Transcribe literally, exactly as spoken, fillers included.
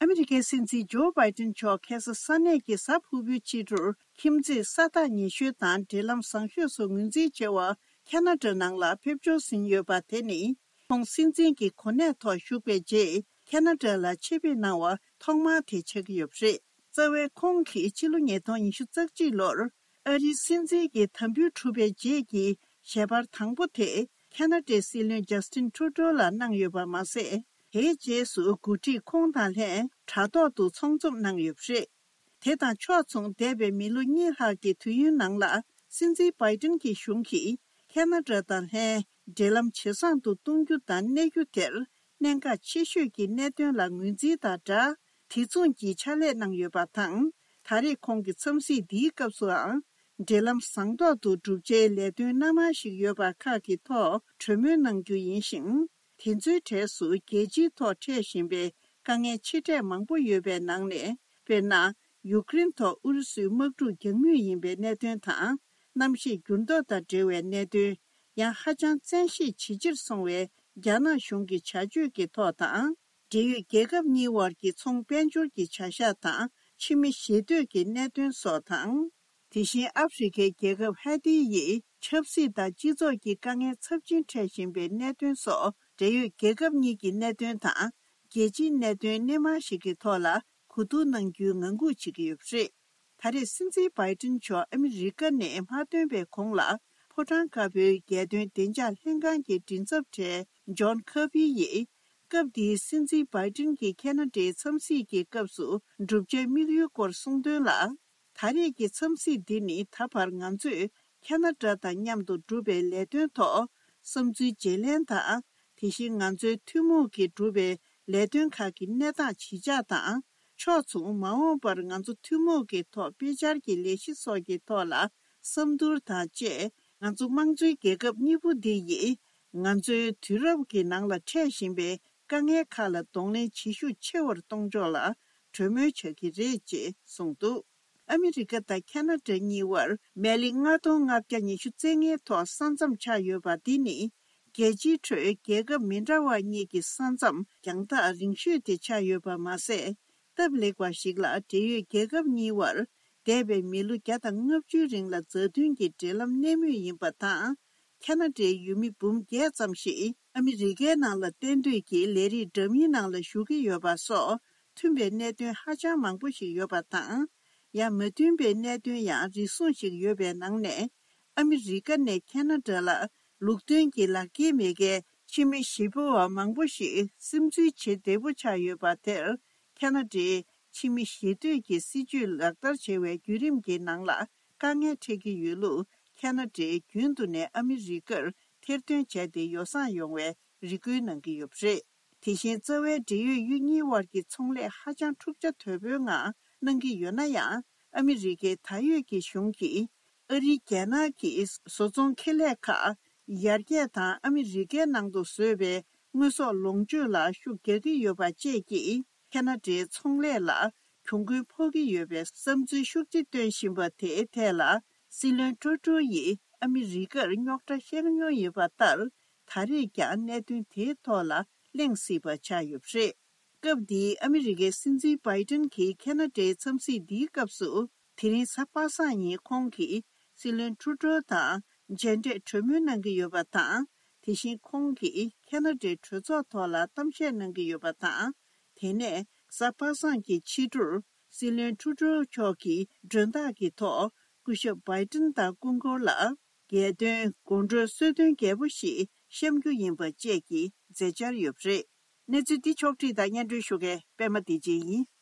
ཨ་མི་རི་ཀའི་སྲིད་འཛིན་ཇོ་བྷའི་ཏིན་མཆོག་ཁ་སང་ས་གནས་ཀྱི་གཟའ་ཕུར་བུའི་ཕྱི་དྲོར་ཁྱིམ་མཚེས་ས་ཐག་ཉེ་ཤོས་དང་འབྲེལ་ལམ་བཟང་ཤོས་སུ་ངོས་འཛིན་བྱེད་པར་ཁ་ན་ཌ་ནང་ལ་ཕེབས་འབྱོར་ཟིན་ཡོད་པ་དེ་ནི། ཁོང་སྲིད་འཛིན་གྱི་གོ་གནས་ཐོག་བཞུགས་པའི་རྗེས་ཁ་ན་ཌ་ལ་ཆེད་ཕེབས་གནང་བ་ཐོག་མ་དེ་ཆགས་ཀྱི་ཡོད་པ་རེད། རྩ་བའི་ཁོང་གིས་ཕྱི་ལོ་ཉིས་སྟོང་ཉི་ཤུ་རྩ་གཅིག་ལོར་ཨ་རིའི་སྲིད་འཛིན་གྱི་དམ་འབུལ་གྲུབ་པའི་རྗེས་ཀྱི་ཞལ་པར་དང་པོ་དེ་ཁ་ན་ཌའི་སྲིད་བློན་ཇ་སི་ཏིན་ཁྲུ་ཏོ་ལ་གནང་ཡོད་པ་མ་ཟད། དེའི་རྗེས་སུ་འགོ་ཁྲིད་ཁོང་དང་ལྷན་དྲ་ཐོག་ཏུ་ཚོགས་འཛོམས་གནང་ཡོད་པ་རེད། དེ་དང་ཕྱོགས་མཚུངས་འདས་པའི་མི་ལོ་གཉིས་ལྷག་གི་དུས་ཡུན་ནང་ལ་སྲིད་འཛིན་བྷའི་ཏིན་གྱི་གཞུང་གིས་ཁ་ན་ཌ་དང་ལྷན་འབྲེལ་ལམ་ཇེ་བཟང་དུ་གཏོང་རྒྱུ་དང་གནས་རྒྱུ་དེར་གནད་འགག་ཆེ་ཤོས་ཀྱི་གནད་དོན་ལ་ངོས་འཛིན་དང་སྦྲགས། དེ་མཚུངས་ཀྱི་ཕྱག་ལས་གནང་ཡོད་པ་དང་། ད་རེས་ཁོང་གི་འཚམས་གཟིགས་འདིའི་སྐབས་སུའང་འབྲེལ་ལམ་བཟང་ཐོག་ཏུ་བསྒྲུབ་ཆེད་ལས་དོན་སྣ་མང་ཞིག་ཡོད་པ་ཁག་གི་ཐོག་གྲོས་མོལ་གནང་རྒྱུ་ཡིན་ཞིང་། དེ་ཚོའི་གྲས་སུ་རྒྱལ་སྤྱིའི་ཐོག་འཕྲད་བཞིན་པའི་དཀའ་ངལ་ཆེ་གྲས་མང་པོ་ཡོད་པའི་ནང་ནས། དཔེར་ན། ཡུཀ་རེན་ཐོག་ཨུ་རུ་སུའི་དམག་འཁྲུག་རྒྱག་མུས་ཡིན་པའི་གནད་དོན་དང་། གནམ་གཤིས་འགྱུར་ལྡོག་དང་འབྲེལ་བའི་གནད་དོན། ཡང་ཧ་ཅང་བཙན་ཤེད་ཇེ་ཆེར་སོང་བའི་རྒྱ་ནག་གཞུང་གི་བྱ་སྤྱོད་ཀྱི་ཐོག་དང་། འབྲེལ་ཡོད་རྒྱལ་ཁབ་གཉིས་དབར་གྱི་ཚོང་དཔལ་འབྱོར་གྱི་བྱ་གཞག་དང་ཕྱི་མི་ཞེ་གཏོད་ཀྱི་གནད་དོན་སོགས་དང་། དེ་བཞིན་ཨ་ཧྥེ་རི་ཁའི་རྒྱལ་ཁབ་ཧའེ་ཏི་ཡི་ཆབ་སྲིད་དང་སྤྱི་ཚོགས་ཀྱི་དཀའ་ངལ་ཚབས་ཆེན་འཕྲད་བཞིན་པའི་གནད་དོན་སོགས། འབྲེལ་ཡོད་རྒྱལ་ཁབ་གཉིས་ཀྱི་གནད་དོན་དང་། རྒྱལ་སྤྱིའི་གནད་དོན་སྣེ་མང་ཞིག་གི་ཐོག་ལ་གོ་བསྡུར་གནང་རྒྱུའི་ངང་སྒུག་བྱེད་ཀྱི་ཡོད་པ་རེད། ད་རེས་སྲིད་འཛིན་བྷའི་ཏིན་མཆོག་ཨ་མི་རི་ཀ་ནས་མ་ཐོན་པའི་གོང་ལ། ཕོ་བྲང་དཀར་པོའི་རྒྱལ་དོན་བདེ་འཇགས་ལྷན་ཁང་གི་མགྲིན་ཚབ་གྲས་ཇོན་ཁར་བྷི་ཡིས། སྐབས་དེའི་སྲིད་འཛིན་བྷའི་ཏིན་གྱིས་ཁ་ན་ཌའི་འཚམས་གཟིགས་ཀྱི་སྐབས་སུ་བསྒྲུབ་བྱའི་དམིགས་ཡུལ་སྐོར་གསུངས་དོན་ལ། ད་རེས་ཀྱི་འཚམས་གཟིགས་འདི་ནི་ད་བར་ང་ཚོས་ཁ་ན་ཌ་དང་མཉམ་དུ་བསྒྲུབས་པའི་ལས་དོན་ཐོག་བསམ་ཚུལ་བརྗེ་ལེན་དང་། དེ་བཞིན་ང་ཚོའི་ཐུན་མོང་གིས་བསྒྲུབས་པའི་ལས་དོན་ཁག་གི་གནས་སྟངས་ཇི་ཆགས་དང་། ཕྱོགས་མཚུངས་མ་འོངས་པར་ང་ཚོ་ཐུན་མོང་གི་ཐོག་དཔེ་ཆར་གྱི་ལས་གཞི་སོགས་ཀྱི་ཐོག་ལ་བསམ་བསྡུར་དང་བཅས། ང་ཚོ་དམངས་གཙོའི་རྒྱལ་ཁབ་གཉིས་པོ་འདི་ཡིས་ང་ཚོའི་དུས་རབས་ཀྱི་ནང་ལ་འཕྲད་བཞིན་པའི་དཀའ་ངལ་ཁག་ལ་གདོང་ལེན་བྱེད་ཤུགས་ཆེ་བར་གཏོང་ཕྱོགས་ལ་གྲོས་མོལ་བྱ་གི་རེད་ཅེས་གསུངས་འདུག་ཨ་མི་རི་ཀ་དང་ཁ་ན་ཌ་གཉིས་དབར་སྨན་གླིང་ལྔ་སྟོང་ལྔ་བརྒྱ་ཉི་ཤུ་རྩ་ལྔའི་ཐོག་ས་མཚམས་ཆགས་ཡོད་པ་འདི་ནི། རྒྱལ་སྤྱིའི་ཁྲོད་རྒྱལ་ཁབ་མི་འདྲ་བ་གཉིས་ཀྱི་ས་མཚམས་རྒྱང་ཐག་རིང་ཤོས་དེ་ཆགས་ཡོད་པ་མ་ཟད། སྟབས་ལེགས་པ་ཞིག་ལ་འབྲེལ་ཡོད་རྒྱལ་ཁབ་གཉིས་དབར་འདས་པའི་མི་ལོ་བརྒྱ་དང་ལྔ་བཅུའི་རིང་ལ་མཛའ་མཐུན་གྱི་འབྲེལ་ལམ་གནས་མུས་ཡིན་པ་དང་། ཁ་ན་ཌའི་ཡུལ་མི་འབུམ་བརྒྱད་ཙམ་ཞིག་ཨ་མི་རི་ཀའི་ནང་ལ་གཏན་སྡོད་ཀྱི་ལས་རིགས་འདྲ་མིན་ནང་ལ་ཞུགས་ཀྱི་ཡོད་པ་སོགས་མཐུན་པའི་གནད་དོན་ཧ་ཅང་མང་པོ་ཞིག་ཡོད་པ་དང་། ཡང་མ་མཐུན་པའི་གནད་དོན་ཡང་རེ་ཟུང་ཞིག་ཡོད་པའི་ནང་ནས། ཨ་མི་རི་ཀ་ནས་ཁ་ན་ཌ་ལ་ལུགས་མཐུན་གྱི་ལག་འཁྱེར་མེད་མཁན་ཕྱི་མི་ཞེ་པོ་བ་མང་པོ་ཞིག་སིམ་འཛུལ་བྱེད་བདེ་པོ་ཆགས་ཡོད་པ་དེར། ཁ་ན་ཌའི་ཕྱི་མི་ཞེ་གཏོད་ཀྱི་སྲིད་ཇུས་ལག་བསྟར་བྱེད་པའི་བརྒྱུད་རིམ་གྱི་ནང་ལ་དཀའ་ངལ་འཕྲད་ཀྱི་ཡོད་ལུགས། ཁ་ན་ཌས་རྒྱུན་དུ་ནས་ཨ་མི་རི་ཀར་ཐེར་འདོན་བྱས་ཏེ་ཡོ་བསྲང་ཡོང་བའི་རེ་སྐུལ་གནང་གི་ཡོད་པ་རེད། དེ་བཞིན་རྩ་བའི་འབྲེལ་ཡོད་ཡུལ་གཉིས་དབར་གྱི་ཚོང་ལས་ཧ་ཅང་འཁྲུག་ཆ་དོད་པོའི་ངང་གནང་གི་ཡོད་ན་ཡང་། ཨ་མི་རི་ཀའི་ད་ཡོད་ཀྱི་གཞུང་གིས་ཨ་རིའི་རྒྱལ་ནང་གི་བཟོ་ཚོང་ཁེ་ལས་ཁག་ཡར་རྒྱས་དང་ཨ་མི་རི་ཀའི་ནང་དུ་བཟོས་པའི་དངོས་ཟོག་ལོངས་སྤྱོད་ལ་ཤུགས་རྒྱག་གི་ཡོད་པ་བཅས་ཀྱིས། ཁ་ན་ཌའི་ཚོང་ལས་ལ་གྱོང་གུན་ཕོག་གི་ཡོད་པའི་བསམ་ཚུལ་ཤུགས་ཆེ་བཏོན་བཞིན་པ་དེའི་ཐད་ལ། སྲིད་བློན་ཀྲུ་ཀྲུ་ཡིས་ཨ་མི་རི་ཀར་རྙོག་དྲ་བཤད་མྱོང་ཡོད་པ་ལྟར། ད་རེས་ཀྱང་གནད་དོན་དེའི་ཐོག་ལ་གླེང་སྲིད་པ་ཆགས་ཡོད་པ་རེད། སྐབས་འདིའི་ཨ་མི་རི་ཀའི་སྲིད་འཛིན་བྷའི་ཏིན་གྱི་ཁ་ན་ཌའི་འཚམས་གཟིགས་འདིའི་སྐབས་སུ། དེ་རིང་གཟའ་པ་སངས་ཉིན་ཁོང་གིས་སྲིད་བློན་ཀྲུ་ཀྲུ་དང་མཇལ་འཕྲད་གྲོས་མོལ་གནང་གི་ཡོད་པ་དང་། དེ་བཞིན་ཁོང་གིས་ཁ་ན་ཌའི་གྲོས་ཚོགས་ཐོག་ལ་གཏམ་བཤད་གནང་གི་ཡོད་པ་དང་། དེ་ནས་གཟའ་པ་སངས་ཀྱི་ཕྱི་དྲོར་སྲིད་བློན་ཀྲུ་ཀྲུ་མཆོག་གིས་མགྲོན་བདག་གི་ཐོག་སྐུ་ཞབས་བྷའི་ཏིན་དང་སྐུ་འཁོར་ལ་རྒྱལ་དོན་དགོང་དྲོའི་གསོལ་སྟོན་རྒྱས་པོ་ཞིག་བཤམ་རྒྱུ་ཡིན་པ་བཅས་ཀྱི་མཛད་འཆར་ཡོད་པ་རེད། གནས་ཚུལ་འདི་ཕྱོགས་བསྒྲིགས་དང་སྙན་སྒྲོན་ཞུ་མཁན་པད་མ་བདེ་ཆེན་ཡིན།